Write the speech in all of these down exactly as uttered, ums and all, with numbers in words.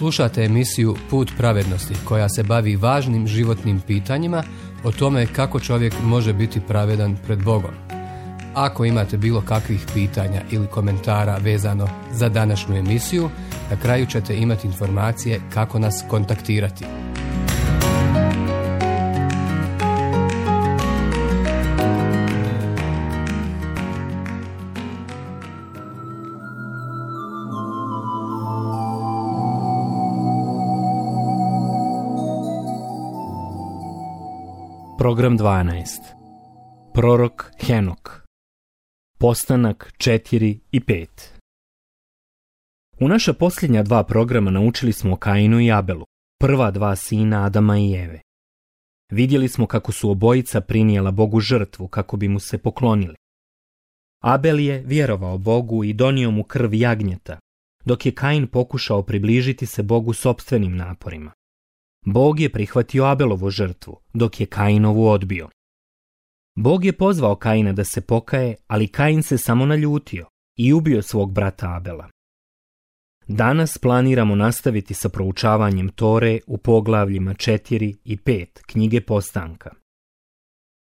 Slušate emisiju Put pravednosti koja se bavi važnim životnim pitanjima o tome kako čovjek može biti pravedan pred Bogom. Ako imate bilo kakvih pitanja ili komentara vezano za današnju emisiju, na kraju ćete imati informacije kako nas kontaktirati. Program dvanaest. Prorok Henok. Postanak četiri i pet. U naša posljednja dva programa naučili smo o Kainu i Abelu, prva dva sina Adama i Eve. Vidjeli smo kako su obojica prinijela Bogu žrtvu kako bi mu se poklonili. Abel je vjerovao Bogu i donio mu krv jagnjeta, dok je Kain pokušao približiti se Bogu sopstvenim naporima. Bog je prihvatio Abelovu žrtvu, dok je Kainovu odbio. Bog je pozvao Kaina da se pokaje, ali Kain se samo naljutio i ubio svog brata Abela. Danas planiramo nastaviti sa proučavanjem Tore u poglavljima četiri i pet knjige Postanka.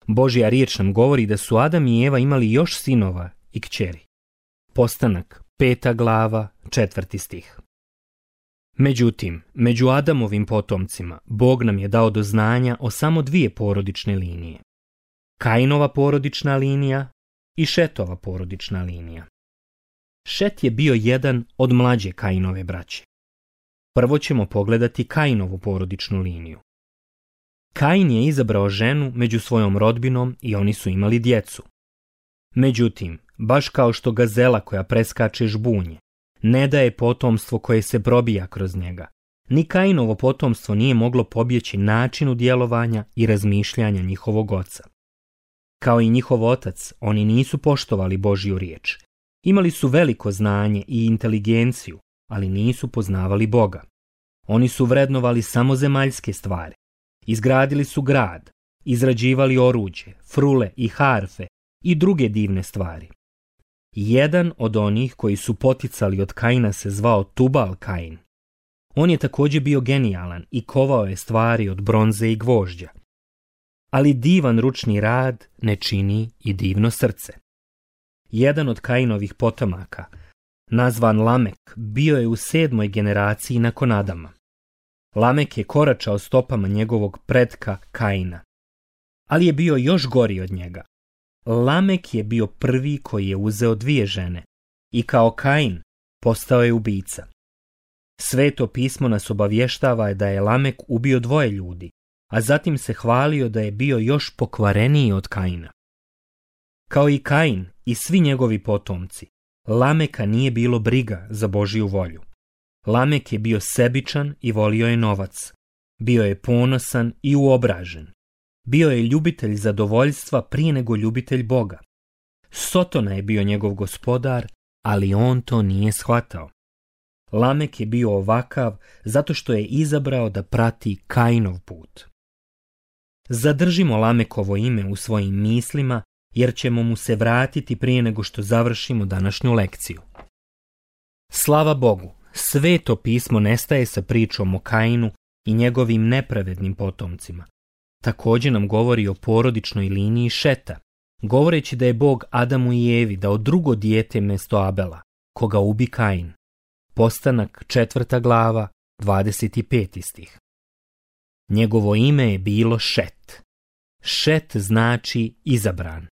Božja riječ nam govori da su Adam i Eva imali još sinova i kćeri. Postanak, peta glava, četvrti stih. Međutim, među Adamovim potomcima Bog nam je dao do znanja o samo dvije porodične linije. Kainova porodična linija i Šetova porodična linija. Šet je bio jedan od mlađe Kainove braće. Prvo ćemo pogledati Kainovu porodičnu liniju. Kain je izabrao ženu među svojom rodbinom i oni su imali djecu. Međutim, baš kao što gazela koja preskače žbunje ne daje potomstvo koje se probija kroz njega, ni Kainovo potomstvo nije moglo pobjeći načinu djelovanja i razmišljanja njihovog oca. Kao i njihov otac, oni nisu poštovali Božju riječ. Imali su veliko znanje i inteligenciju, ali nisu poznavali Boga. Oni su vrednovali samo zemaljske stvari. Izgradili su grad, izrađivali oruđe, frule i harfe i druge divne stvari. Jedan od onih koji su poticali od Kaina se zvao Tubal Kain. On je također bio genijalan i kovao je stvari od bronze i gvožđa. Ali divan ručni rad ne čini i divno srce. Jedan od Kainovih potomaka, nazvan Lamek, bio je u sedmoj generaciji nakon Adama. Lamek je koračao stopama njegovog pretka Kaina, ali je bio još gori od njega. Lamek je bio prvi koji je uzeo dvije žene i kao Kain postao je ubica. Sveto pismo nas obavještava da je Lamek ubio dvoje ljudi, a zatim se hvalio da je bio još pokvareniji od Kaina. Kao i Kain i svi njegovi potomci, Lameka nije bilo briga za Božju volju. Lamek je bio sebičan i volio je novac. Bio je ponosan i uobražen. Bio je ljubitelj zadovoljstva prije nego ljubitelj Boga. Sotona je bio njegov gospodar, ali on to nije shvatao. Lamek je bio ovakav zato što je izabrao da prati Kainov put. Zadržimo Lamekovo ime u svojim mislima, jer ćemo mu se vratiti prije nego što završimo današnju lekciju. Slava Bogu, Sveto pismo nestaje sa pričom o Kainu i njegovim nepravednim potomcima. Također nam govori o porodičnoj liniji Šeta, govoreći da je Bog Adamu i Evi dao drugo dijete mjesto Abela, koga ubi Kain. Postanak četvrta glava, dvadeset peti stih. Njegovo ime je bilo Šet. Šet znači izabran.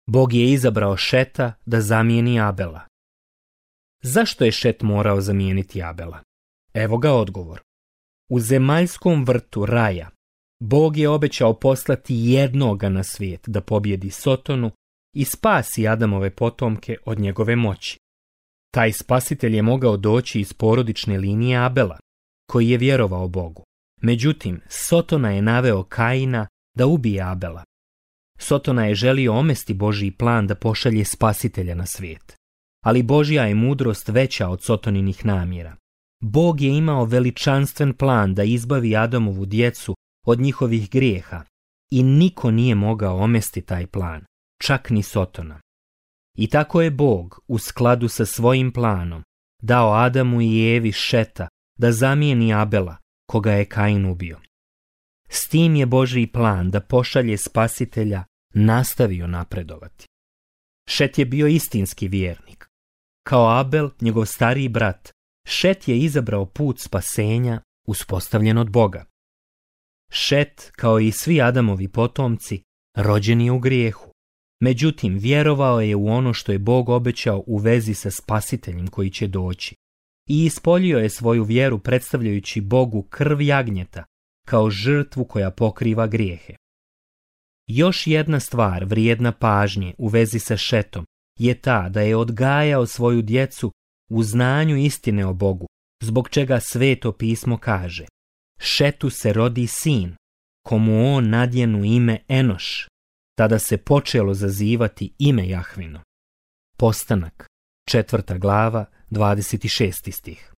Bog je izabrao Šeta da zamijeni Abela. Zašto je Šet morao zamijeniti Abela? Evo ga odgovor. U zemaljskom vrtu raja Bog je obećao poslati jednoga na svijet da pobjedi Sotonu i spasi Adamove potomke od njegove moći. Taj spasitelj je mogao doći iz porodične linije Abela, koji je vjerovao Bogu. Međutim, Sotona je naveo Kaina da ubije Abela. Sotona je želio omesti Božji plan da pošalje spasitelja na svijet. Ali Božja je mudrost veća od Sotoninih namjera. Bog je imao veličanstven plan da izbavi Adamovu djecu od njihovih grijeha i niko nije mogao omesti taj plan, čak ni Sotona. I tako je Bog, u skladu sa svojim planom, dao Adamu i Evi Šeta da zamijeni Abela, koga je Kain ubio. S tim je Božji plan da pošalje spasitelja nastavio napredovati. Šet je bio istinski vjernik. Kao Abel, njegov stariji brat, Šet je izabrao put spasenja uspostavljen od Boga. Šet, kao i svi Adamovi potomci, rođen je u grijehu. Međutim, vjerovao je u ono što je Bog obećao u vezi sa spasiteljem koji će doći i ispoljio je svoju vjeru predstavljajući Bogu krv jagnjeta kao žrtvu koja pokriva grijehe. Još jedna stvar vrijedna pažnje u vezi sa Šetom je ta da je odgajao svoju djecu u znanju istine o Bogu, zbog čega Sveto pismo kaže: Šetu se rodi sin, komu on nadjenu ime Enoš. Tada se počelo zazivati ime Jahvino. Postanak, četvrta glava, dvadeset šesti stih.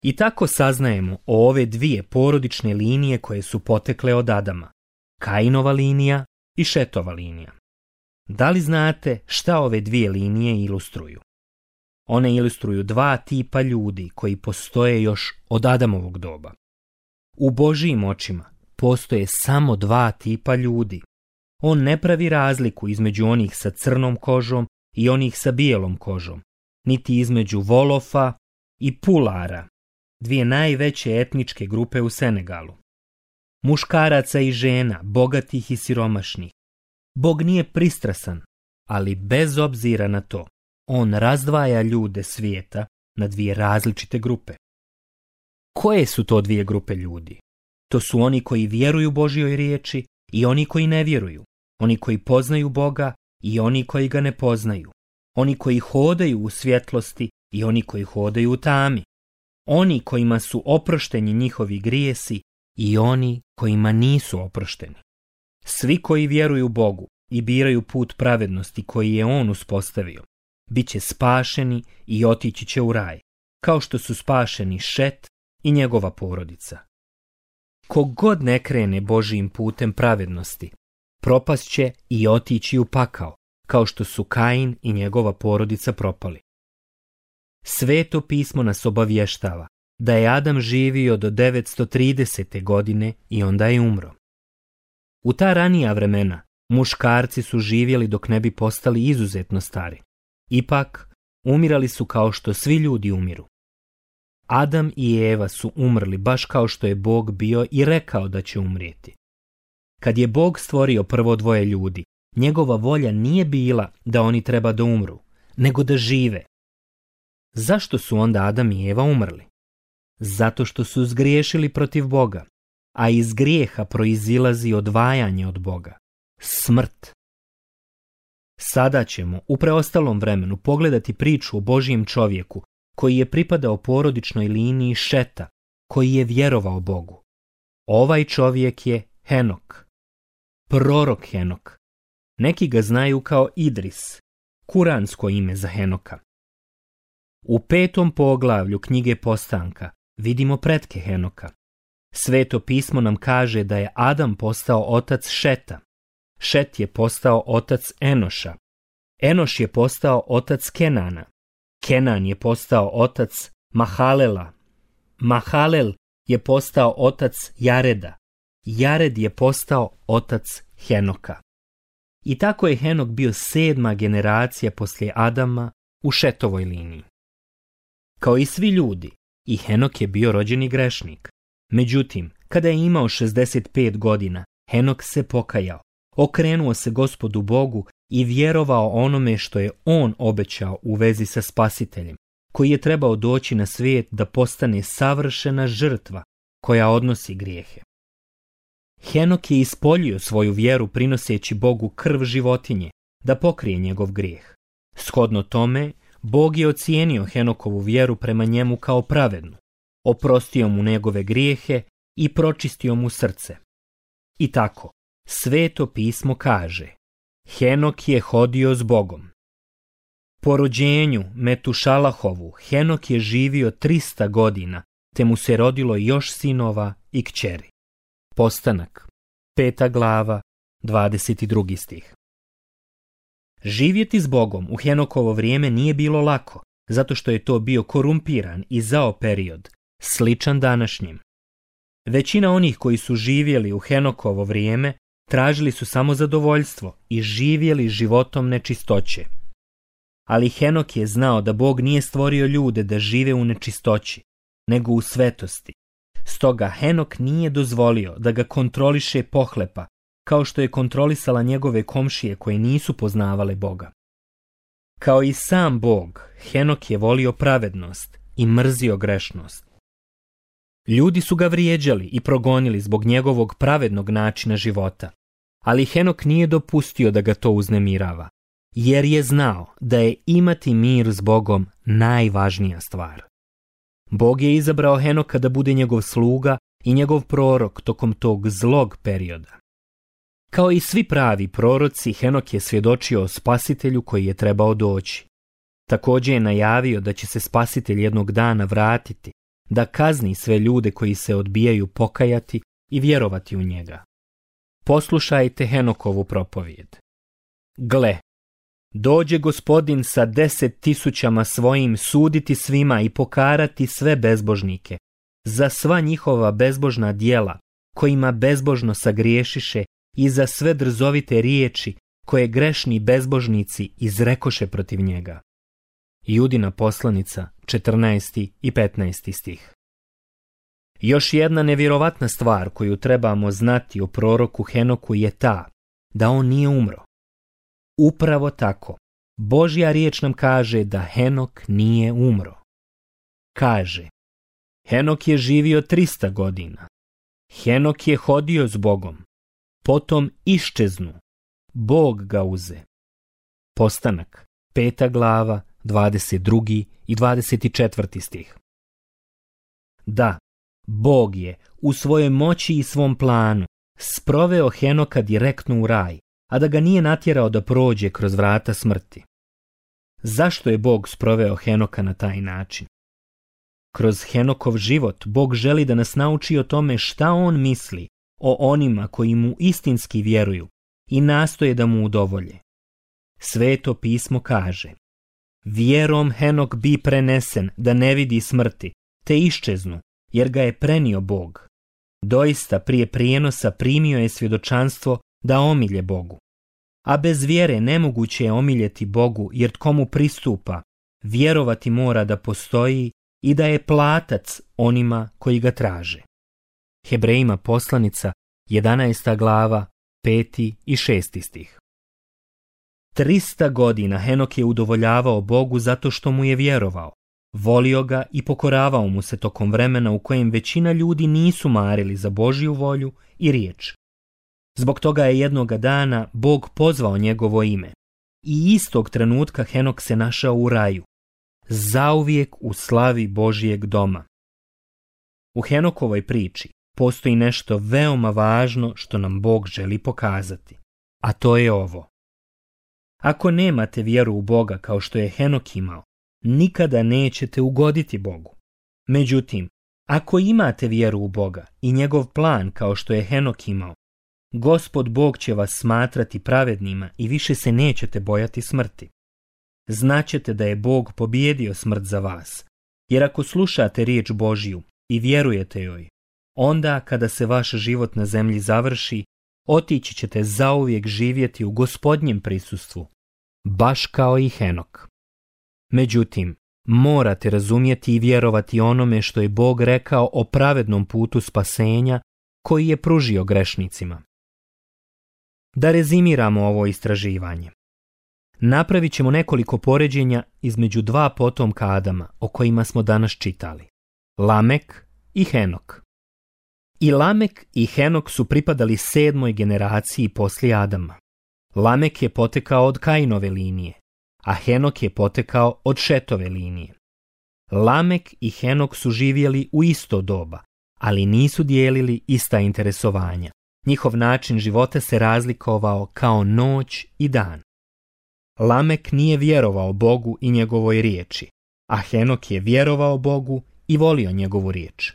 I tako saznajemo o ove dvije porodične linije koje su potekle od Adama, Kainova linija i Šetova linija. Da li znate šta ove dvije linije ilustruju? One ilustruju dva tipa ljudi koji postoje još od Adamovog doba. U Božijim očima postoje samo dva tipa ljudi. On ne pravi razliku između onih sa crnom kožom i onih sa bijelom kožom, niti između Volofa i Pulara, dvije najveće etničke grupe u Senegalu. Muškaraca i žena, bogatih i siromašnih. Bog nije pristrasan, ali bez obzira na to, on razdvaja ljude svijeta na dvije različite grupe. Koje su to dvije grupe ljudi? To su oni koji vjeruju Božjoj riječi i oni koji ne vjeruju, oni koji poznaju Boga i oni koji ga ne poznaju, oni koji hodaju u svjetlosti i oni koji hodaju u tami, oni kojima su oprošteni njihovi grijesi i oni kojima nisu oprošteni. Svi koji vjeruju Bogu i biraju put pravednosti koji je on uspostavio, bit će spašeni i otići će u raj, kao što su spašeni Šet i njegova porodica. Kogod ne krene Božijim putem pravednosti, propast će i otići u pakao, kao što su Kain i njegova porodica propali. Sveto pismo nas obavještava da je Adam živio do devetsto tridesete godine i onda je umro. U ta ranija vremena muškarci su živjeli dok ne bi postali izuzetno stari. Ipak, umirali su kao što svi ljudi umiru. Adam i Eva su umrli baš kao što je Bog bio i rekao da će umrijeti. Kad je Bog stvorio prvo dvoje ljudi, njegova volja nije bila da oni treba da umru, nego da žive. Zašto su onda Adam i Eva umrli? Zato što su zgriješili protiv Boga, a iz grijeha proizilazi odvajanje od Boga, smrt. Sada ćemo u preostalom vremenu pogledati priču o Božijem čovjeku koji je pripadao porodičnoj liniji Šeta, koji je vjerovao Bogu. Ovaj čovjek je Henok, prorok Henok. Neki ga znaju kao Idris, kuransko ime za Henoka. U petom poglavlju knjige Postanka vidimo pretke Henoka. Sveto pismo nam kaže da je Adam postao otac Šeta. Šet je postao otac Enoša. Enoš je postao otac Kenana. Kenan je postao otac Mahalela. Mahalel je postao otac Jareda. Jared je postao otac Henoka. I tako je Henok bio sedma generacija poslije Adama u Šetovoj liniji. Kao i svi ljudi, i Henok je bio rođeni grešnik. Međutim, kada je imao šezdeset pet godina, Henok se pokajao, okrenuo se Gospodu Bogu i vjerovao onome što je on obećao u vezi sa spasiteljem, koji je trebao doći na svijet da postane savršena žrtva koja odnosi grijehe. Henok je ispoljio svoju vjeru prinoseći Bogu krv životinje da pokrije njegov grijeh. Shodno tome, Bog je ocijenio Henokovu vjeru prema njemu kao pravednu, oprostio mu njegove grijehe i pročistio mu srce. I tako, Sveto pismo kaže: Henok je hodio s Bogom. Po rođenju Metušalahovu Henok je živio trista godina, te mu se rodilo još sinova i kćeri. Postanak, peta glava, dvadeset drugi stih. Živjeti s Bogom u Henokovo vrijeme nije bilo lako, zato što je to bio korumpiran i zao period sličan današnjim. Većina onih koji su živjeli u Henokovo vrijeme tražili su samo zadovoljstvo i živjeli životom nečistoće. Ali Henok je znao da Bog nije stvorio ljude da žive u nečistoći, nego u svetosti. Stoga Henok nije dozvolio da ga kontroliše pohlepa, kao što je kontrolisala njegove komšije koje nisu poznavale Boga. Kao i sam Bog, Henok je volio pravednost i mrzio grešnost. Ljudi su ga vrijeđali i progonili zbog njegovog pravednog načina života, ali Henok nije dopustio da ga to uznemirava, jer je znao da je imati mir s Bogom najvažnija stvar. Bog je izabrao Henoka da bude njegov sluga i njegov prorok tokom tog zlog perioda. Kao i svi pravi proroci, Henok je svjedočio o spasitelju koji je trebao doći. Također je najavio da će se spasitelj jednog dana vratiti, da kazni sve ljude koji se odbijaju pokajati i vjerovati u njega. Poslušajte Henokovu propovijed. Gle, dođe Gospodin sa deset tisućama svojim suditi svima i pokarati sve bezbožnike, za sva njihova bezbožna djela, kojima bezbožno sagriješiše, i za sve drzovite riječi koje grešni bezbožnici izrekoše protiv njega. Judina poslanica, četrnaesti i petnaesti stih. Još jedna nevjerovatna stvar koju trebamo znati o proroku Henoku je ta da on nije umro. Upravo tako, Božja riječ nam kaže da Henok nije umro. Kaže, Henok je živio trista godina. Henok je hodio s Bogom. Potom iščeznu. Bog ga uze. Postanak, peta glava, dvadeset drugi i dvadeset četvrti stih. Da, Bog je u svojoj moći i svom planu sproveo Henoka direktno u raj, a da ga nije natjerao da prođe kroz vrata smrti. Zašto je Bog sproveo Henoka na taj način? Kroz Henokov život Bog želi da nas nauči o tome šta on misli o onima koji mu istinski vjeruju i nastoje da mu udovolje. Sveto pismo kaže: vjerom Henok bi prenesen da ne vidi smrti, te iščeznu, jer ga je prenio Bog. Doista prije prijenosa primio je svjedočanstvo da omilje Bogu. A bez vjere nemoguće je omiljeti Bogu, jer tko mu pristupa, vjerovati mora da postoji i da je platac onima koji ga traže. Hebrejima poslanica, jedanaesta glava, peti i šesti stih. Trista godina Henok je udovoljavao Bogu zato što mu je vjerovao, volio ga i pokoravao mu se tokom vremena u kojem većina ljudi nisu marili za Božju volju i riječ. Zbog toga je jednoga dana Bog pozvao njegovo ime i istog trenutka Henok se našao u raju, zauvijek u slavi Božjeg doma. U Henokovoj priči postoji nešto veoma važno što nam Bog želi pokazati, a to je ovo. Ako nemate vjeru u Boga kao što je Henok imao, nikada nećete ugoditi Bogu. Međutim, ako imate vjeru u Boga i njegov plan kao što je Henok imao, Gospod Bog će vas smatrati pravednima i više se nećete bojati smrti. Znaćete da je Bog pobijedio smrt za vas, jer ako slušate riječ Božju i vjerujete joj, onda kada se vaš život na zemlji završi, otići ćete zauvijek živjeti u Gospodnjem prisustvu, baš kao i Henok. Međutim, morate razumjeti i vjerovati onome što je Bog rekao o pravednom putu spasenja koji je pružio grešnicima. Da rezimiramo ovo istraživanje. Napravit ćemo nekoliko poređenja između dva potomka Adama o kojima smo danas čitali, Lamek i Henok. I Lamek i Henok su pripadali sedmoj generaciji poslije Adama. Lamek je potekao od Kainove linije, a Henok je potekao od Šetove linije. Lamek i Henok su živjeli u isto doba, ali nisu dijelili ista interesovanja. Njihov način života se razlikovao kao noć i dan. Lamek nije vjerovao Bogu i njegovoj riječi, a Henok je vjerovao Bogu i volio njegovu riječ.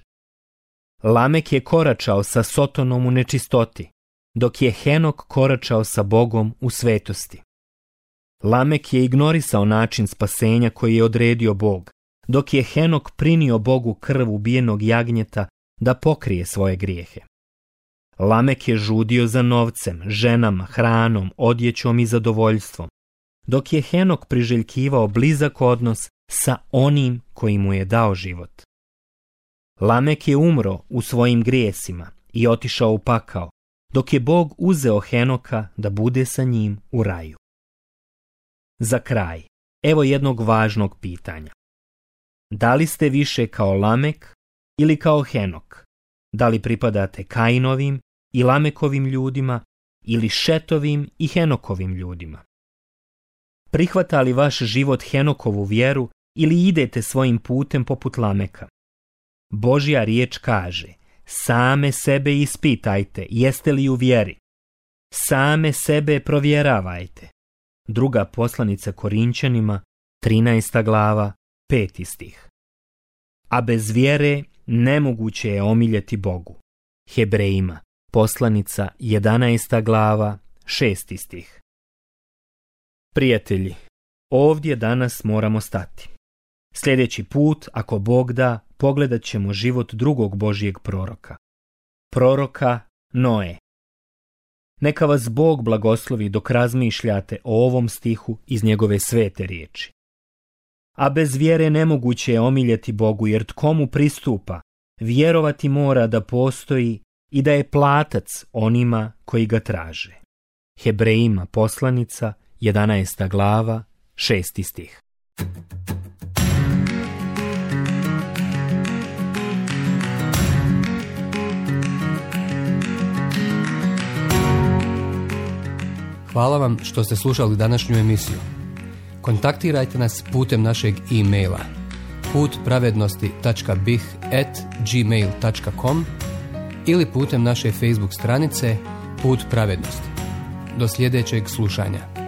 Lamek je koračao sa Sotonom u nečistoti, dok je Henok koračao sa Bogom u svetosti. Lamek je ignorisao način spasenja koji je odredio Bog, dok je Henok prinio Bogu krv ubijenog jagnjeta da pokrije svoje grijehe. Lamek je žudio za novcem, ženama, hranom, odjećom i zadovoljstvom, dok je Henok priželjkivao blizak odnos sa onim koji mu je dao život. Lamek je umro u svojim grijesima i otišao u pakao, dok je Bog uzeo Henoka da bude sa njim u raju. Za kraj, evo jednog važnog pitanja. Da li ste više kao Lamek ili kao Henok? Da li pripadate Kainovim i Lamekovim ljudima ili Šetovim i Henokovim ljudima? Prihvata li vaš život Henokovu vjeru ili idete svojim putem poput Lameka? Božja riječ kaže: same sebe ispitajte, jeste li u vjeri. Same sebe provjeravajte. Druga poslanica Korinćanima, trinaesta glava, peti stih. A bez vjere nemoguće je omiljeti Bogu. Hebrejima, poslanica, jedanaesta glava, šesti stih. Prijatelji, ovdje danas moramo stati. Sljedeći put, ako Bog da, pogledat ćemo život drugog Božjeg proroka. Proroka Noe. Neka vas Bog blagoslovi dok razmišljate o ovom stihu iz njegove svete riječi. A bez vjere nemoguće je omiljeti Bogu, jer tko mu pristupa, vjerovati mora da postoji i da je platac onima koji ga traže. Hebrejima, poslanica, jedanaesta glava, šesti stih. Hvala vam što ste slušali današnju emisiju. Kontaktirajte nas putem našeg e-maila put pravednosti tačka b i h at gmail tačka com ili putem naše Facebook stranice Put pravednosti. Do sljedećeg slušanja.